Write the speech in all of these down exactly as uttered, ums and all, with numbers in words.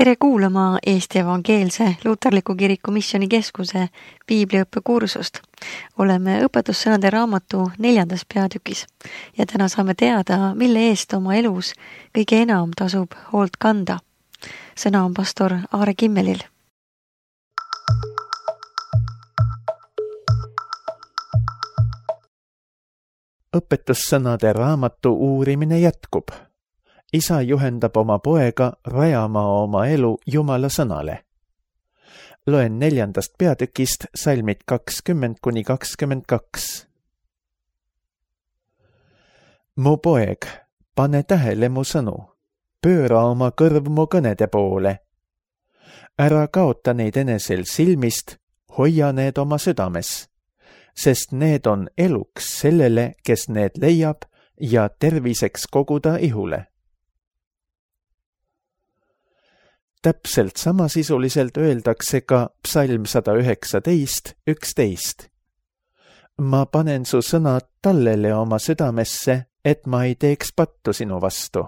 Tere kuulama Eesti Evangeelse Luterliku Kiriku Missioni Keskuse piibliõppe kursust. Oleme õpetussõnade raamatu neljandas peatükis ja täna saame teada, mille eest oma elus kõige enam tasub hoolt kanda. Sõna on pastor Aare Kimmelil. Õpetussõnade raamatu uurimine jätkub. Isa juhendab oma poega rajama oma elu Jumala sõnale. Loen neljandast peatükist salmid kakskümmend kuni kakskümmend kaks. Mu poeg, pane tähele mu sõnu, pööra oma kõrv mu kõnede poole. Ära kaota neid enesel silmist, hoia need oma südames, sest need on eluks sellele, kes need leiab ja terviseks koguda ihule. Täpselt samasisuliselt öeldakse ka psalm sada üheksateist üksteist. Ma panen su sõnad tallele oma südamesse, et ma ei teeks pattu sinu vastu.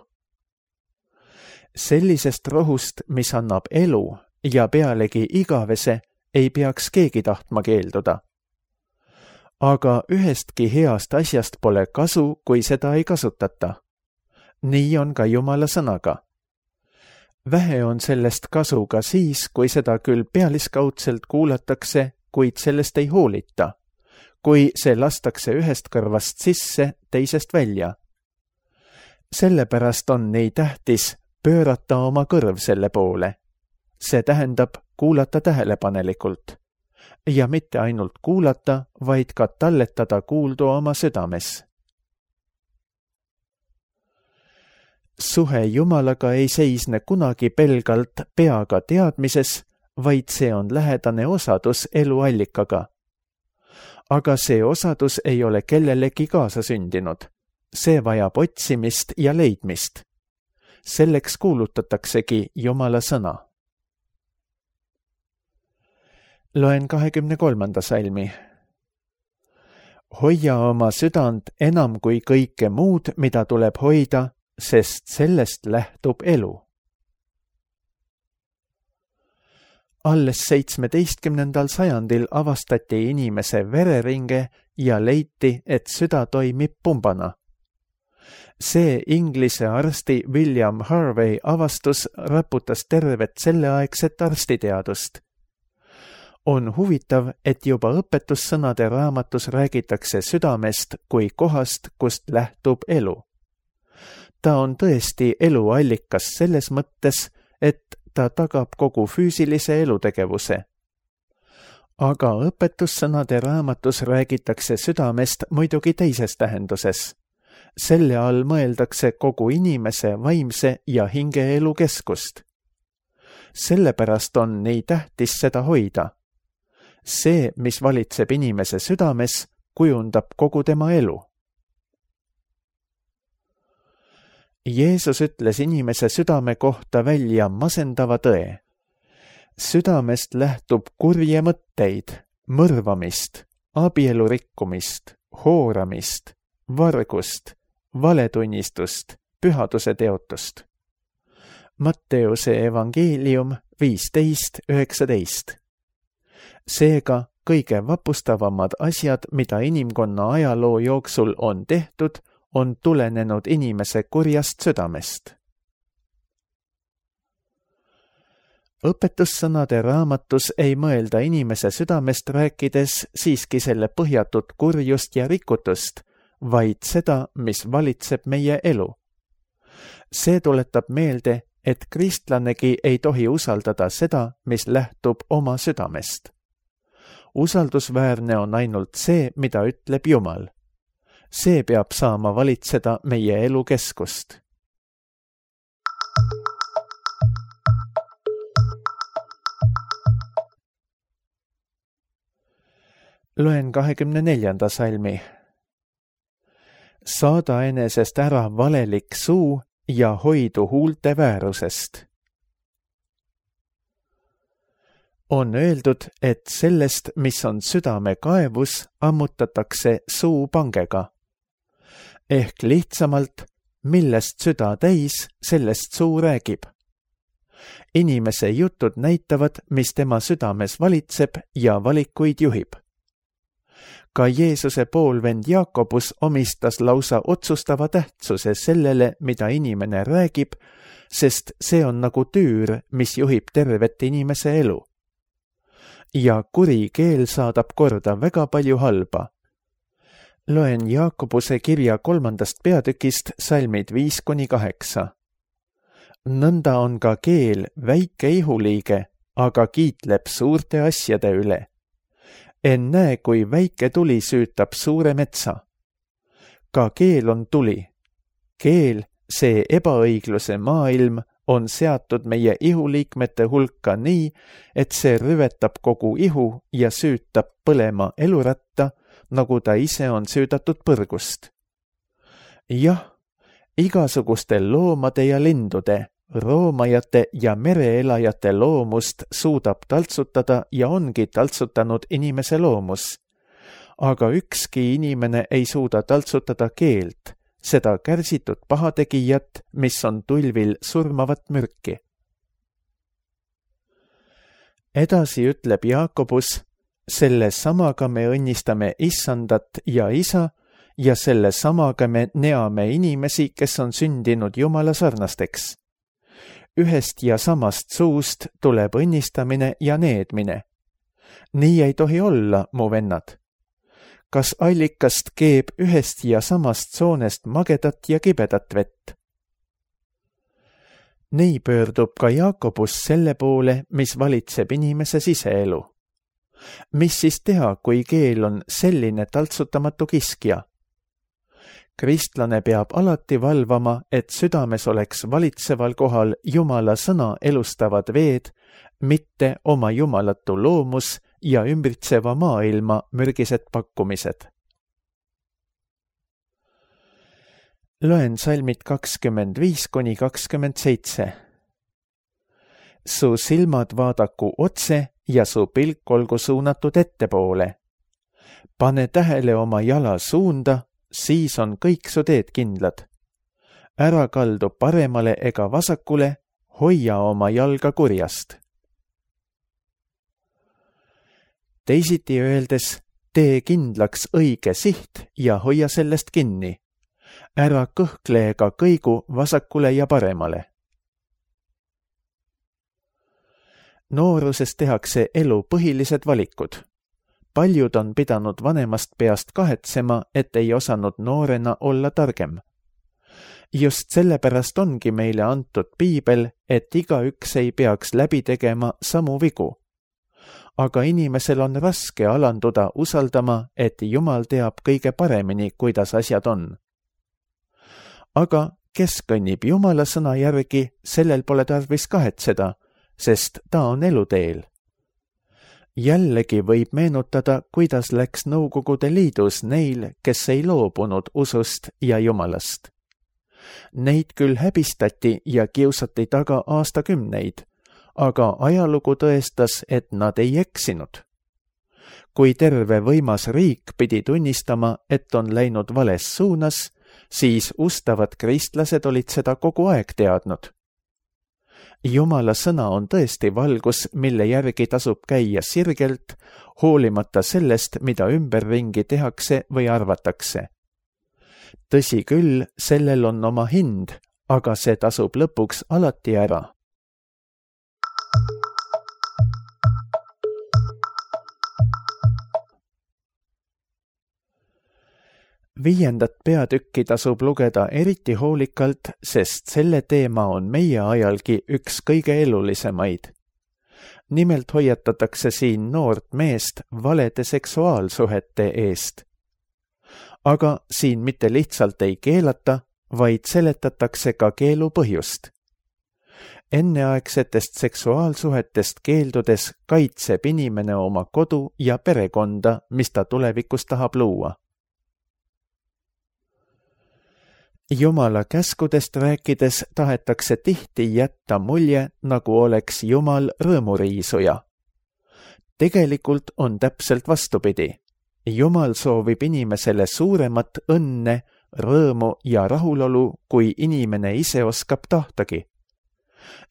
Sellisest rohust, mis annab elu ja pealegi igavese, ei peaks keegi tahtma keelduda. Aga ühestki heast asjast pole kasu, kui seda ei kasutata. Nii on ka Jumala sõnaga. Vähe on sellest kasu ka siis, kui seda küll pealiskaudselt kuulatakse, kuid sellest ei hoolita, kui see lastakse ühest kõrvast sisse, teisest välja. Sellepärast on nii tähtis pöörata oma kõrv selle poole. See tähendab kuulata tähelepanelikult. Ja mitte ainult kuulata, vaid ka talletada kuuldu oma südames. Suhe Jumalaga ei seisne kunagi pelgalt peaga teadmises, vaid see on lähedane osadus eluallikaga. Aga see osadus ei ole kellelegi kaasa sündinud. See vajab otsimist ja leidmist. Selleks kuulutataksegi Jumala sõna. Loen kahekümne kolmanda salmi. Hoia oma südant enam kui kõike muud, mida tuleb hoida, sest sellest lähtub elu. Alles seitsmeteistkümnendal sajandil avastati inimese vereringe ja leiti, et süda toimib pumbana. See Inglise arsti William Harvey avastus raputas tervet selleaegset arstiteadust. On huvitav, et juba õpetussõnade raamatus räägitakse südamest kui kohast, kust lähtub elu. Ta on tõesti eluallikas selles mõttes, et ta tagab kogu füüsilise elutegevuse. Aga õpetussõnade raamatus räägitakse südamest muidugi teises tähenduses. Selle all mõeldakse kogu inimese vaimse ja hingeelu keskust. Sellepärast on nii tähtis seda hoida. See, mis valitseb inimese südames, kujundab kogu tema elu. Jeesus ütles inimese südame kohta välja masendava tõe. Südamest lähtub kurje mõtteid, mõrvamist, abielu rikkumist, hooramist, vargust, valetunnistust, pühaduse teotust. Matteuse evangeelium viisteist üheksateist. Seega kõige vapustavamad asjad, mida inimkonna ajaloo jooksul on tehtud, on tulenenud inimese kurjast südamest. Õpetussõnade raamatus ei mõelda inimese südamest rääkides siiski selle põhjatut kurjust ja rikutust, vaid seda, mis valitseb meie elu. See tuletab meelde, et kristlanegi ei tohi usaldada seda, mis lähtub oma südamest. Usaldusväärne on ainult see, mida ütleb Jumal. See peab saama valitseda meie elu keskust. Loen kahekümne neljanda salmi. Saada enesest ära valelik suu ja hoidu huulte väärusest. On öeldud, et sellest, mis on südame kaevus, ammutatakse suu pangega. Ehk lihtsamalt, millest süda täis, sellest suu räägib. inimese jutud näitavad, mis tema südames valitseb ja valikuid juhib. Ka Jeesuse poolvend Jaakobus omistas lausa otsustava tähtsuse sellele, mida inimene räägib, sest see on nagu tüür, mis juhib tervet inimese elu. Ja kuri keel saadab korda väga palju halba. Loen Jaakobuse kirja kolmandast peatükist salmid viis kuni kaheksa. Nõnda on ka keel väike ihuliige, aga kiitleb suurte asjade üle. En näe, kui väike tuli süütab suure metsa. Ka keel on tuli. Keel, see ebaõigluse maailm, on seatud meie ihuliikmete hulka nii, et see rüvetab kogu ihu ja süütab põlema eluratta, nagu ta ise on süüdatud põrgust. Jah, igasuguste loomade ja lindude, roomajate ja mereelajate loomust suudab taltsutada ja ongi taltsutanud inimese loomus. Aga ükski inimene ei suuda taltsutada keelt, seda kärsitud pahategijat, mis on tulvil surmavat mürki. Edasi ütleb Jaakobus, selle samaga me õnnistame issandat ja isa ja selle samaga me neame inimesi, kes on sündinud Jumala sarnasteks. Ühest ja samast suust tuleb õnnistamine ja needmine. Nii ei tohi olla, mu vennad. Kas allikast keeb ühest ja samast soonest magedat ja kibedat vett? Nii pöördub ka Jaakobus selle poole, mis valitseb inimese siseelu. Mis siis teha, kui keel on selline taltsutamatu kiskja? Kristlane peab alati valvama, et südames oleks valitseval kohal Jumala sõna elustavad veed, mitte oma jumalatu loomus ja ümbritseva maailma mürgised pakkumised. Loen salmid kakskümmend viis kuni kakskümmend seitse. Su silmad vaadaku otse ja su pilk olgu suunatud ettepoole. Pane tähele oma jala suunda, siis on kõik su teed kindlad. Ära kaldu paremale ega vasakule, hoia oma jalga kurjast. Teisiti öeldes, tee kindlaks õige siht ja hoia sellest kinni. Ära kõhkle ega kõigu vasakule ja paremale. Nooruses tehakse elu põhilised valikud. Paljud on pidanud vanemast peast kahetsema, et ei osanud noorena olla targem. Just sellepärast ongi meile antud piibel, et igaüks ei peaks läbi tegema samu vigu. Aga inimesel on raske alanduda usaldama, et Jumal teab kõige paremini, kuidas asjad on. Aga kes kõnnib Jumala sõna järgi, sellel pole tarvis kahetseda, sest ta on eluteel. Jällegi võib meenutada, kuidas läks Nõukogude Liidus neil, kes ei loobunud usust ja Jumalast. Neid küll häbistati ja kiusati taga aastakümneid, aga ajalugu tõestas, et nad ei eksinud. Kui terve võimas riik pidi tunnistama, et on läinud vales suunas, siis ustavad kristlased olid seda kogu aeg teadnud. Jumala sõna on tõesti valgus, mille järgi tasub käia sirgelt, hoolimata sellest, mida ümberringi tehakse või arvatakse. Tõsi küll, sellel on oma hind, aga see tasub lõpuks alati ära. Viiendat peatükki tasub lugeda eriti hoolikalt, sest selle teema on meie ajalgi üks kõige elulisemaid. Nimelt hoiatatakse siin noort meest valede seksuaalsuhete eest. Aga siin mitte lihtsalt ei keelata, vaid seletatakse ka keelu põhjust. Enneaegsetest seksuaalsuhetest keeldudes kaitseb inimene oma kodu ja perekonda, mis ta tulevikus tahab luua. Jumala käskudest rääkides tahetakse tihti jätta mulje, nagu oleks Jumal rõõmuriisuja. Tegelikult on täpselt vastupidi. Jumal soovib inimesele suuremat õnne, rõõmu ja rahulolu, kui inimene ise oskab tahtagi.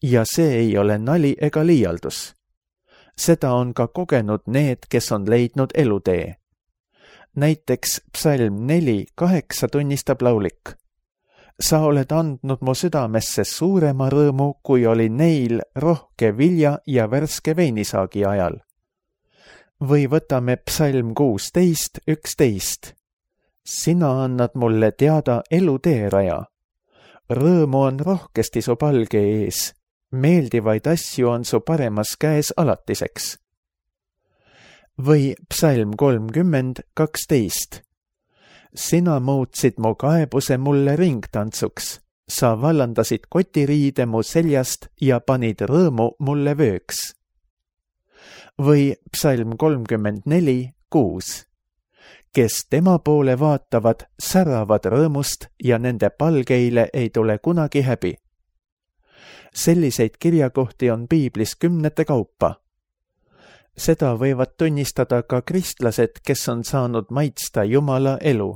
ja see ei ole nali ega liialdus. Seda on ka kogenud need, kes on leidnud elutee. Näiteks psalm neli kaheksa tunnistab laulik. Sa oled andnud mu südamesse suurema rõõmu, kui oli neil rohke vilja ja värske veinisaagi ajal. Või võtame psalm kuusteist üksteist. Sina annad mulle teada elutee raja. Rõõmu on rohkesti su palge ees. Meeldivaid asju on su paremas käes alatiseks. Või psalm kolmkümmend kaksteist. Sina muutsid mu kaebuse mulle ringtantsuks. Sa vallandasid kotiriide mu seljast ja panid rõõmu mulle vööks. Või psalm kolmkümmend neli kuus. Kes tema poole vaatavad, säravad rõõmust ja nende palgeile ei tule kunagi häbi. Selliseid kirjakohti on piiblis kümnete kaupa. Seda võivad tunnistada ka kristlased, kes on saanud maitsta Jumala elu.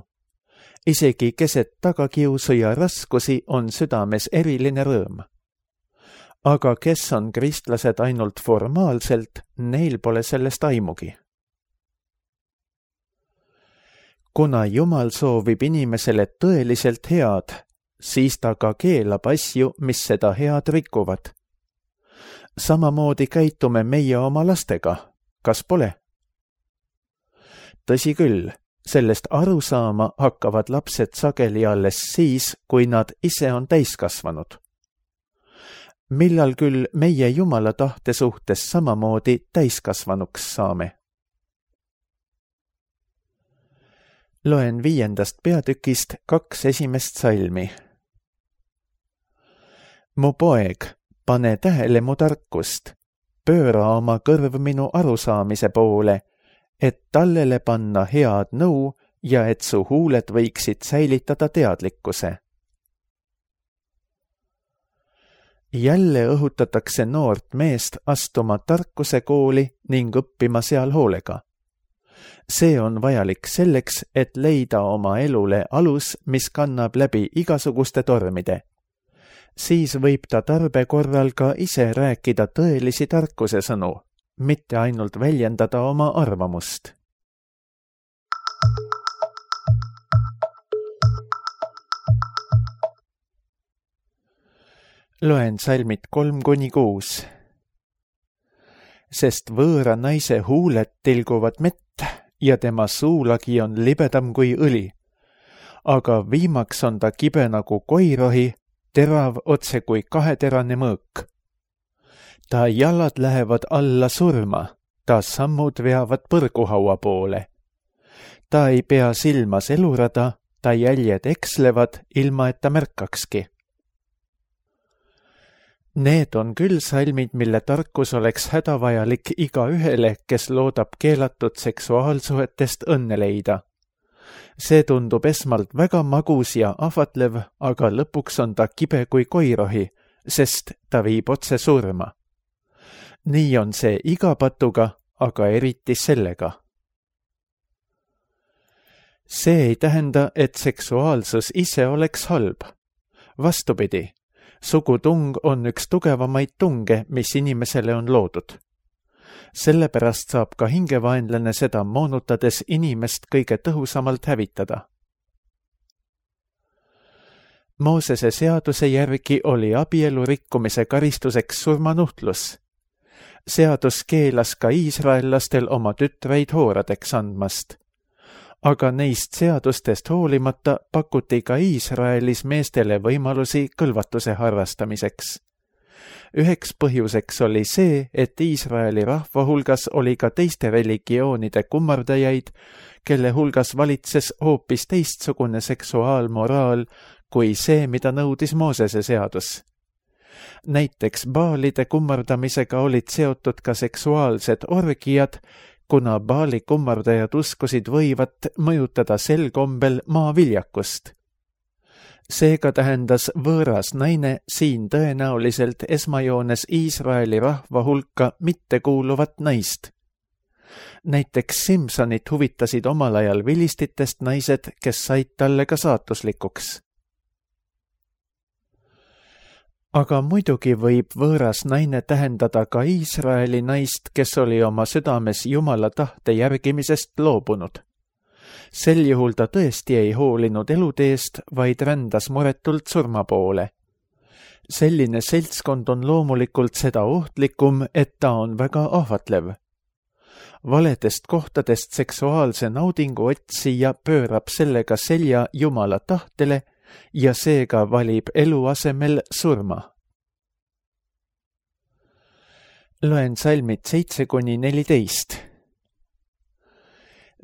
Isegi keset tagakiusu ja raskusi on südames eriline rõõm. Aga kes on kristlased ainult formaalselt, neil pole sellest aimugi. Kuna Jumal soovib inimesele tõeliselt head, siis ta ka keelab asju, mis seda head rikuvad. Samamoodi käitume meie oma lastega, kas pole? Tõsi küll, sellest aru saama hakkavad lapsed sageli alles siis, kui nad ise on täiskasvanud. Millal küll meie Jumala tahte suhtes samamoodi täiskasvanuks saame? Loen viiendast peatükist kaks esimest salmi. Mu poeg, pane tähele mu tarkust, pööra oma kõrv minu arusaamise poole, et tallele panna head nõu ja et su huuled võiksid säilitada teadlikkuse. Jälle õhutatakse noort meest astuma tarkuse kooli ning õppima seal hoolega. See on vajalik selleks, et leida oma elule alus, mis kannab läbi igasuguste tormide. Siis võib ta tarbe korral ka ise rääkida tõelisi tarkuse sõnu, mitte ainult väljendada oma arvamust. Loen salmid kolm kuni kuus. Sest võõra naise huuled tilguvad mett ja tema suulagi on libedam kui õli. Aga viimaks on ta kibe nagu koirohi, terav otse kui kaheterane mõõk. Ta jalad lähevad alla surma, ta sammud veavad põrguhaua poole. Ta ei pea silmas elurada, ta jäljed ekslevad, ilma et ta märkakski. Need on küll salmid, mille tarkus oleks hädavajalik iga ühele, kes loodab keelatud seksuaalsuhetest õnne leida. See tundub esmalt väga magus ja ahvatlev, aga lõpuks on ta kibe kui koirohi, sest ta viib otse surma. Nii on see iga patuga, aga eriti sellega. See ei tähenda, et seksuaalsus ise oleks halb. Vastupidi. Sugutung on üks tugevamaid tunge, mis inimesele on loodud. Sellepärast saab ka hingevaenlane seda moonutades inimest kõige tõhusamalt hävitada. Moosese seaduse järgi oli abielu rikkumise karistuseks surmanuhtlus. Seadus keelas ka iisraellastel oma tütreid hooradeks andmast. Aga neist seadustest hoolimata pakuti ka Iisraelis meestele võimalusi kõlvatuse harrastamiseks. Üheks põhjuseks oli see, et Iisraeli rahva hulgas oli ka teiste religioonide kummardajaid, kelle hulgas valitses hoopis teistsugune seksuaalmoraal kui see, mida nõudis Moosese seadus. Näiteks baalide kummardamisega olid seotud ka seksuaalsed orgiad, kuna baali kummardajad uskusid võivat mõjutada sel kombel maaviljakust. Seega tähendas võõras naine siin tõenäoliselt esmajoones Iisraeli rahva hulka mittekuuluvat naist. Näiteks Simsonit huvitasid omal ajal vilistitest naised, kes said talle ka saatuslikuks. aga muidugi võib võõras naine tähendada ka Iisraeli naist, kes oli oma südames Jumala tahte järgimisest loobunud. Sel juhul ta tõesti ei hoolinud eluteest, vaid rändas muretult surma poole. Selline seltskond on loomulikult seda ohtlikum, et ta on väga ahvatlev. Valedest kohtadest seksuaalse naudingu otsija pöörab sellega selja Jumala tahtele ja seega valib elu asemel surma. Loen salmid seitse kuni neliteist.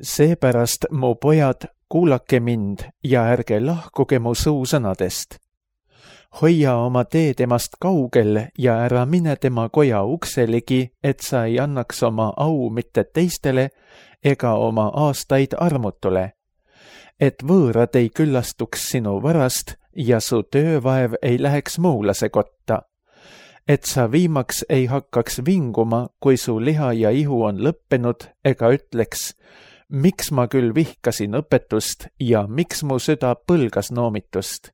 Seepärast, mu pojad, kuulake mind ja ärge lahkuge mu suusõnadest. Hoia oma tee temast kaugel ja ära mine tema koja ukseligi, et sa ei annaks oma au mitte teistele ega oma aastaid armutule, et võõrad ei küllastuks sinu varast ja su töövaev ei läheks muulase kotta, et sa viimaks ei hakkaks vinguma, kui su liha ja ihu on lõppenud, ega ütleks, miks ma küll vihkasin õpetust ja miks mu süda põlgas noomitust.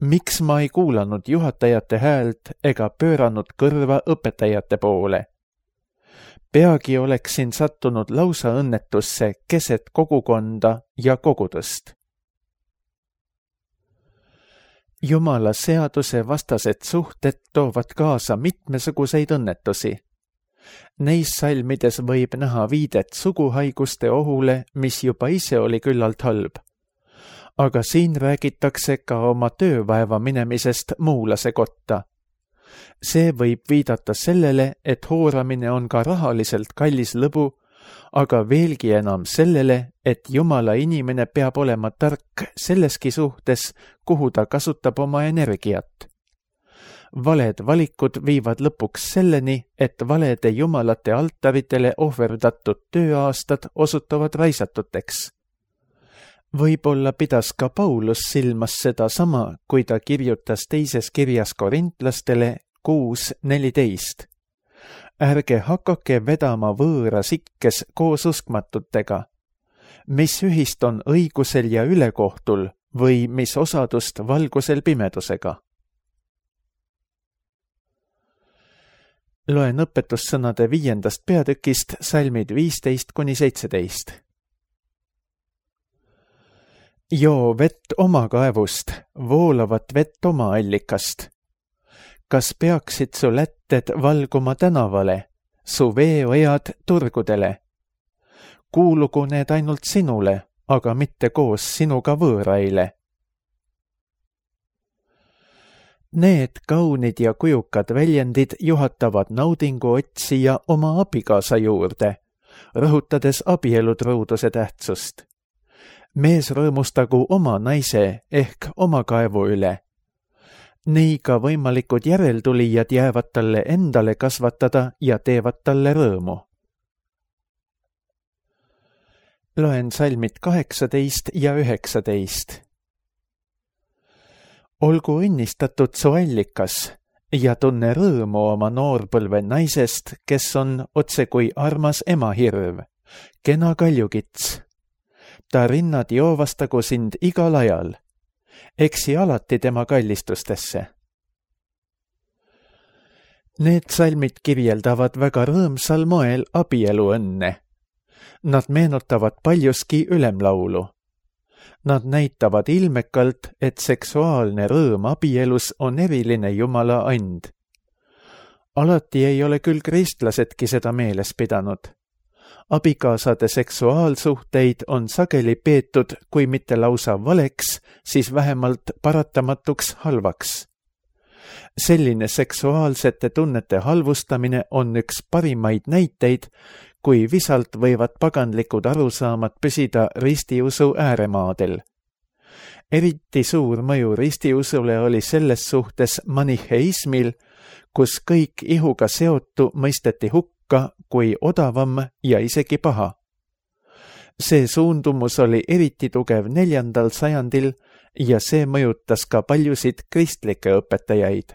Miks ma ei kuulanud juhatajate häält ega pööranud kõrva õpetajate poole? Peagi oleksin sattunud lausa õnnetusse keset kogukonda ja kogudust. Jumala seaduse vastased suhted toovad kaasa mitmesuguseid õnnetusi. Neis salmides võib näha viidet suguhaiguste ohule, mis juba ise oli küllalt halb. Aga siin räägitakse ka oma töövaeva minemisest muulase kotta. See võib viidata sellele, et hooramine on ka rahaliselt kallis lõbu, aga veelgi enam sellele, et Jumala inimene peab olema tark selleski suhtes, kuhu ta kasutab oma energiat. Valed valikud viivad lõpuks selleni, et valede jumalate altaritele ohverdatud tööaastad osutuvad raisatuteks. Võib-olla pidas ka Paulus silmas seda sama, kui ta kirjutas teises kirjas korintlastele kuus neliteist. Ärge hakake vedama võõras ikkes koos uskmatutega. Mis ühist on õigusel ja ülekohtul või mis osadust valgusel pimedusega? Loen õpetussõnade viiendast peatükist salmid viisteist kuni seitseteist. Joo vett oma kaevust, voolavat vett oma allikast. Kas peaksid su lätted valguma tänavale, su veeojad turgudele? Kuulugu need ainult sinule, aga mitte koos sinuga võõraile. Need kaunid ja kujukad väljendid juhatavad naudingu otsija oma abikaasa juurde, rõhutades abielutruuduse tähtsust. Mees rõõmustagu oma naise ehk oma kaevu üle. Nii ka võimalikud järeltulijad jäävad talle endale kasvatada ja teevad talle rõõmu. Loen salmid kaheksateist ja üheksateist. Olgu õnnistatud su allikas ja tunne rõõmu oma noorpõlve naisest, kes on otse kui armas emahirv, kena kaljukits. Ta rinnad joovastagu sind igal ajal. Eksi alati tema kallistustesse. Need salmid kirjeldavad väga rõõmsal moel abielu õnne. Nad meenutavad paljuski ülemlaulu. Nad näitavad ilmekalt, et seksuaalne rõõm abielus on eriline Jumala and. Alati ei ole küll kristlasedki seda meeles pidanud. Abikaasade seksuaalsuhteid on sageli peetud, kui mitte lausa valeks, siis vähemalt paratamatuks halvaks. Selline seksuaalsete tunnete halvustamine on üks parimaid näiteid, kui visalt võivad paganlikud arusaamad püsida ristiusu ääremaadel. Eriti suur mõju ristiusule oli selles suhtes maniheismil, kus kõik ihuga seotu mõisteti hukka kui odavam ja isegi paha. See suundumus oli eriti tugev neljandal sajandil ja see mõjutas ka paljusid kristlikke õpetajaid.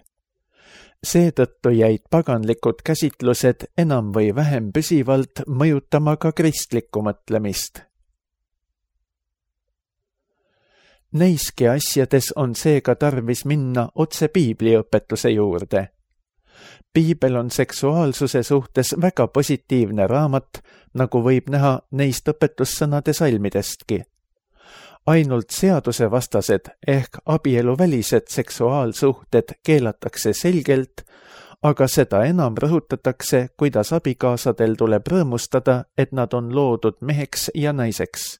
Seetõttu jäid paganlikud käsitlused enam või vähem püsivalt mõjutama ka kristlikku mõtlemist. Neiski asjades on seega tarvis minna otse piibliõpetuse juurde. Piibel on seksuaalsuse suhtes väga positiivne raamat, nagu võib näha neist õpetussõnade salmidestki. Ainult seadusevastased ehk abieluvälised seksuaalsuhted keelatakse selgelt, aga seda enam rõhutatakse, kuidas abikaasadel tuleb rõõmustada, et nad on loodud meheks ja naiseks.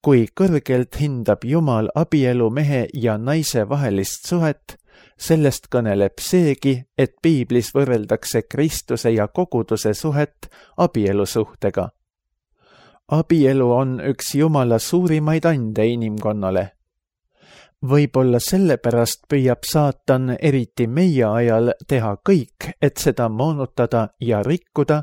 Kui kõrgelt hindab Jumal abielu mehe ja naise vahelist suhet, sellest kõneleb seegi, et piiblis võrreldakse Kristuse ja koguduse suhet abielusuhtega. Abielu on üks Jumala suurimaid ande inimkonnale. Võib-olla sellepärast püüab saatan eriti meie ajal teha kõik, et seda moonutada ja rikkuda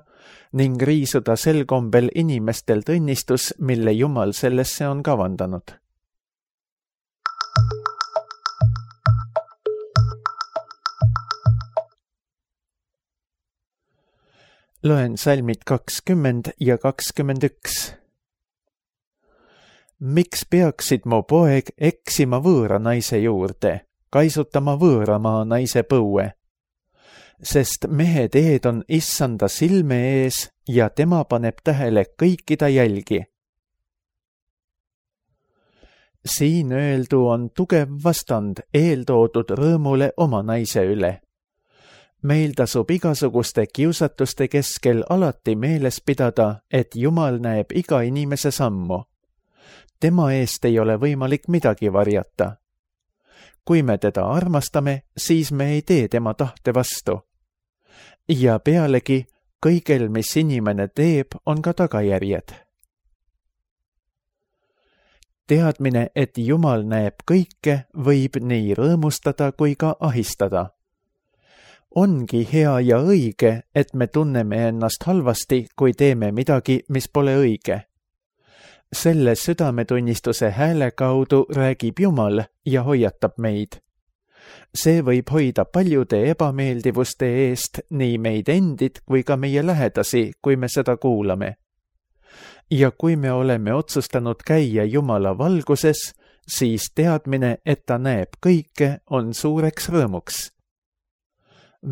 ning riisuda sel kombel inimestel õnnistus, mille Jumal sellesse on kavandanud. Loen salmid kakskümmend ja kakskümmend üks. Miks peaksid mu poeg eksima võõra naise juurde, kaisutama võõramaa naise põue? Sest mehe teed on issanda silme ees ja tema paneb tähele kõiki ta jälgi. Siin öeldu on tugev vastand eeltoodud rõõmule oma naise üle. Meil tasub igasuguste kiusatuste keskel alati meeles pidada, et Jumal näeb iga inimese sammu. Tema eest ei ole võimalik midagi varjata. Kui me teda armastame, siis me ei tee tema tahte vastu. Ja pealegi, kõigel, mis inimene teeb, on ka tagajärjed. Teadmine, et Jumal näeb kõike, võib nii rõõmustada kui ka ahistada. Ongi hea ja õige, et me tunneme ennast halvasti, kui teeme midagi, mis pole õige. Selle südametunnistuse hääle kaudu räägib Jumal ja hoiatab meid. See võib hoida paljude ebameeldivuste eest nii meid endid kui ka meie lähedasi, kui me seda kuulame. Ja kui me oleme otsustanud käia Jumala valguses, siis teadmine, et ta näeb kõike, on suureks rõõmuks.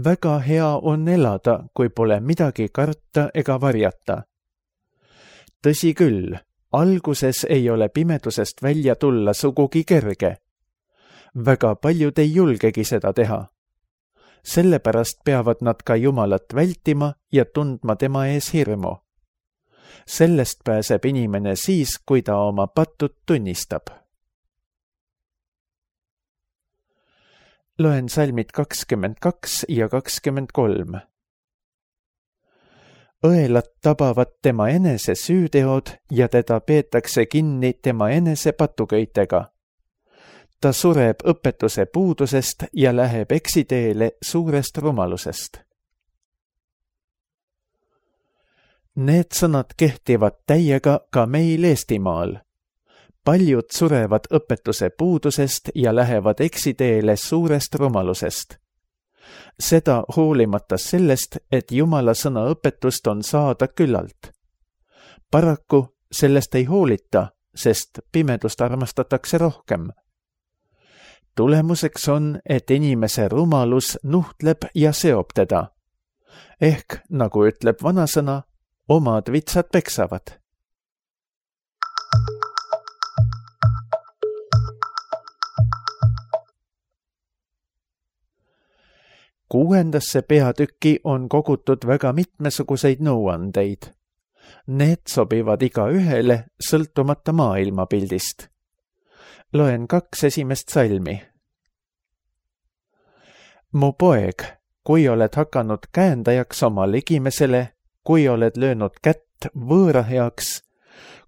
Väga hea on elada, kui pole midagi karta ega varjata. Tõsi küll, alguses ei ole pimedusest välja tulla sugugi kerge. Väga paljud ei julgegi seda teha. Sellepärast peavad nad ka Jumalat vältima ja tundma tema ees hirmu. Sellest pääseb inimene siis, kui ta oma pattud tunnistab. Loen salmid kakskümmend kaks ja kakskümmend kolm. Õelad tabavad tema enese süüteod ja teda peetakse kinni tema enese patuköitega. Ta sureb õpetuse puudusest ja läheb eksiteele suurest rumalusest. Need sõnad kehtivad täiega ka meil Eestimaal. Paljud surevad õpetuse puudusest ja lähevad eksiteele suurest rumalusest. Seda hoolimata sellest, et Jumala sõna õpetust on saada küllalt. Paraku sellest ei hoolita, sest pimedust armastatakse rohkem. Tulemuseks on, et inimese rumalus nuhtleb ja seob teda. Ehk, nagu ütleb vanasõna, omad vitsad peksavad. Kuuendasse peatükki on kogutud väga mitmesuguseid nõuandeid. Need sobivad iga ühele sõltumata maailmapildist. Loen kaks esimest salmi. Mu poeg, kui oled hakanud käendajaks oma ligimesele, kui oled löönud kätt võõra heaks,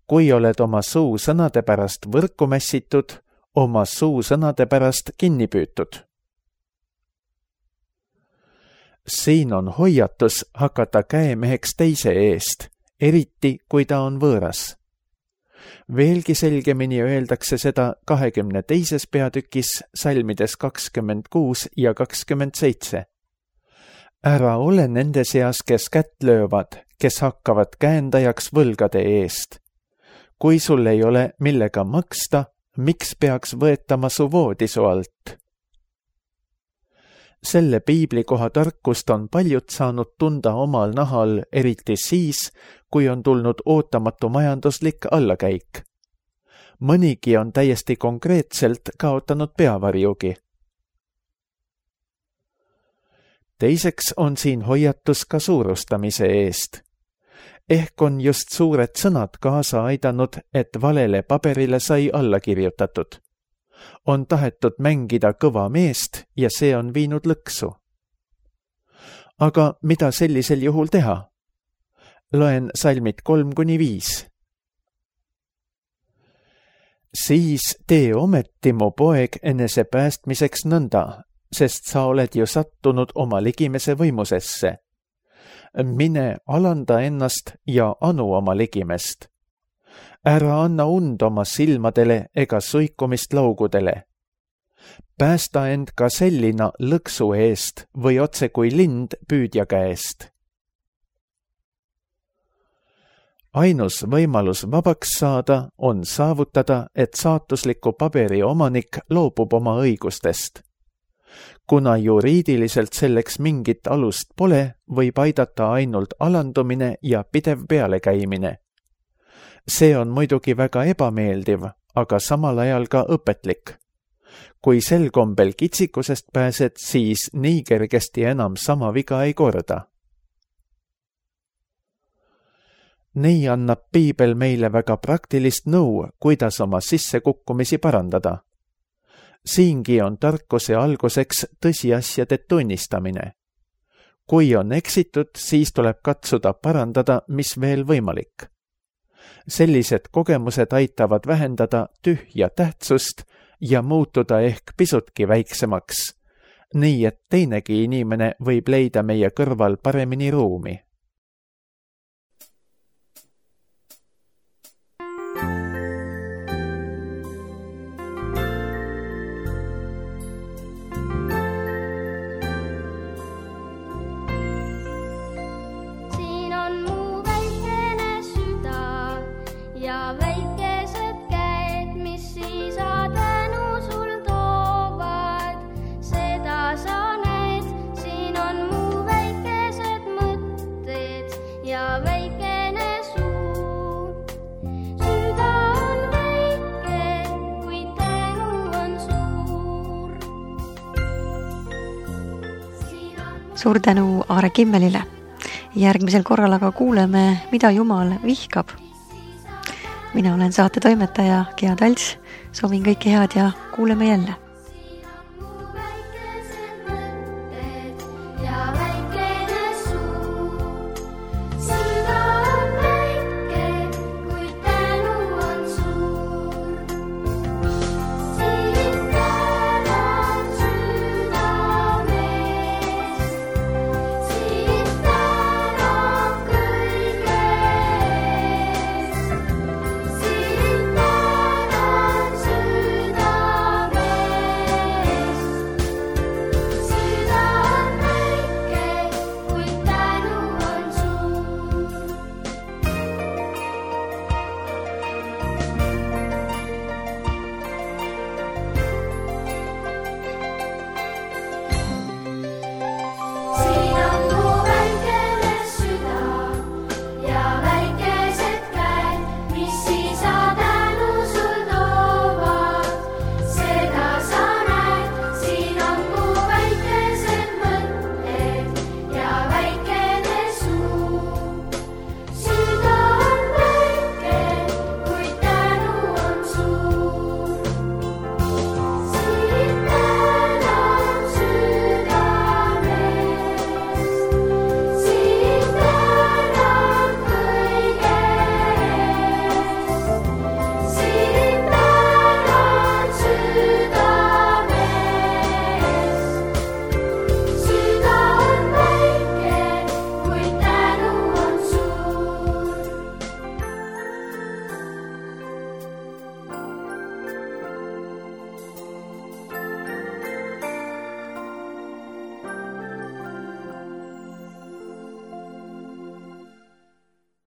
kui oled oma suu sõnade pärast võrku mässitud, oma suu sõnade pärast kinni püütud. Siin on hoiatus hakata käemeheks teise eest, eriti kui ta on võõras. Veelgi selgemini öeldakse seda kahekümne teises peatükis salmides kakskümmend kuus ja kakskümmend seitse. Ära ole nende seas, kes kätt löövad, kes hakkavad käendajaks võlgade eest. kui sul ei ole millega maksta, miks peaks võetama su voodi su alt? Selle piiblikoha tarkust on paljud saanud tunda omal nahal, eriti siis, kui on tulnud ootamatu majanduslik allakäik. Mõnigi on täiesti konkreetselt kaotanud peavarjugi. Teiseks on siin hoiatus ka suurustamise eest. Ehk on just suured sõnad kaasa aidanud, et valele paberile sai alla kirjutatud. On tahetud mängida kõva meest ja see on viinud lõksu. Aga mida sellisel juhul teha? Loen salmid kolm kuni viis. Siis tee ometi, mu poeg, enese päästmiseks nõnda, sest sa oled ju sattunud oma ligimese võimusesse. Mine alanda ennast ja anu oma ligimest. Ära anna und oma silmadele ega suikumist laugudele. Päästa end ka sellina lõksu eest või otse kui lind püüdja käest. Ainus võimalus vabaks saada on saavutada, et saatusliku paberi omanik loobub oma õigustest. Kuna juriidiliselt selleks mingit alust pole, võib aidata ainult alandumine ja pidev pealekäimine. See on muidugi väga ebameeldiv, aga samal ajal ka õpetlik. Kui sel kombel kitsikusest pääsed, siis nii kergesti enam sama viga ei korda. Nii annab piibel meile väga praktilist nõu, kuidas oma sissekukkumisi parandada. Siingi on tarkuse alguseks tõsiasjade tunnistamine. Kui on eksitud, siis tuleb katsuda parandada, mis veel võimalik. Sellised kogemused aitavad vähendada tühja tähtsust ja muutuda ehk pisutki väiksemaks, nii et teinegi inimene võib leida meie kõrval paremini ruumi. Suur tänu Aare Kimmelile. Järgmisel korral aga kuuleme, mida Jumal vihkab. Mina olen saate toimetaja Gea Talts. Soovin kõike head ja kuuleme jälle.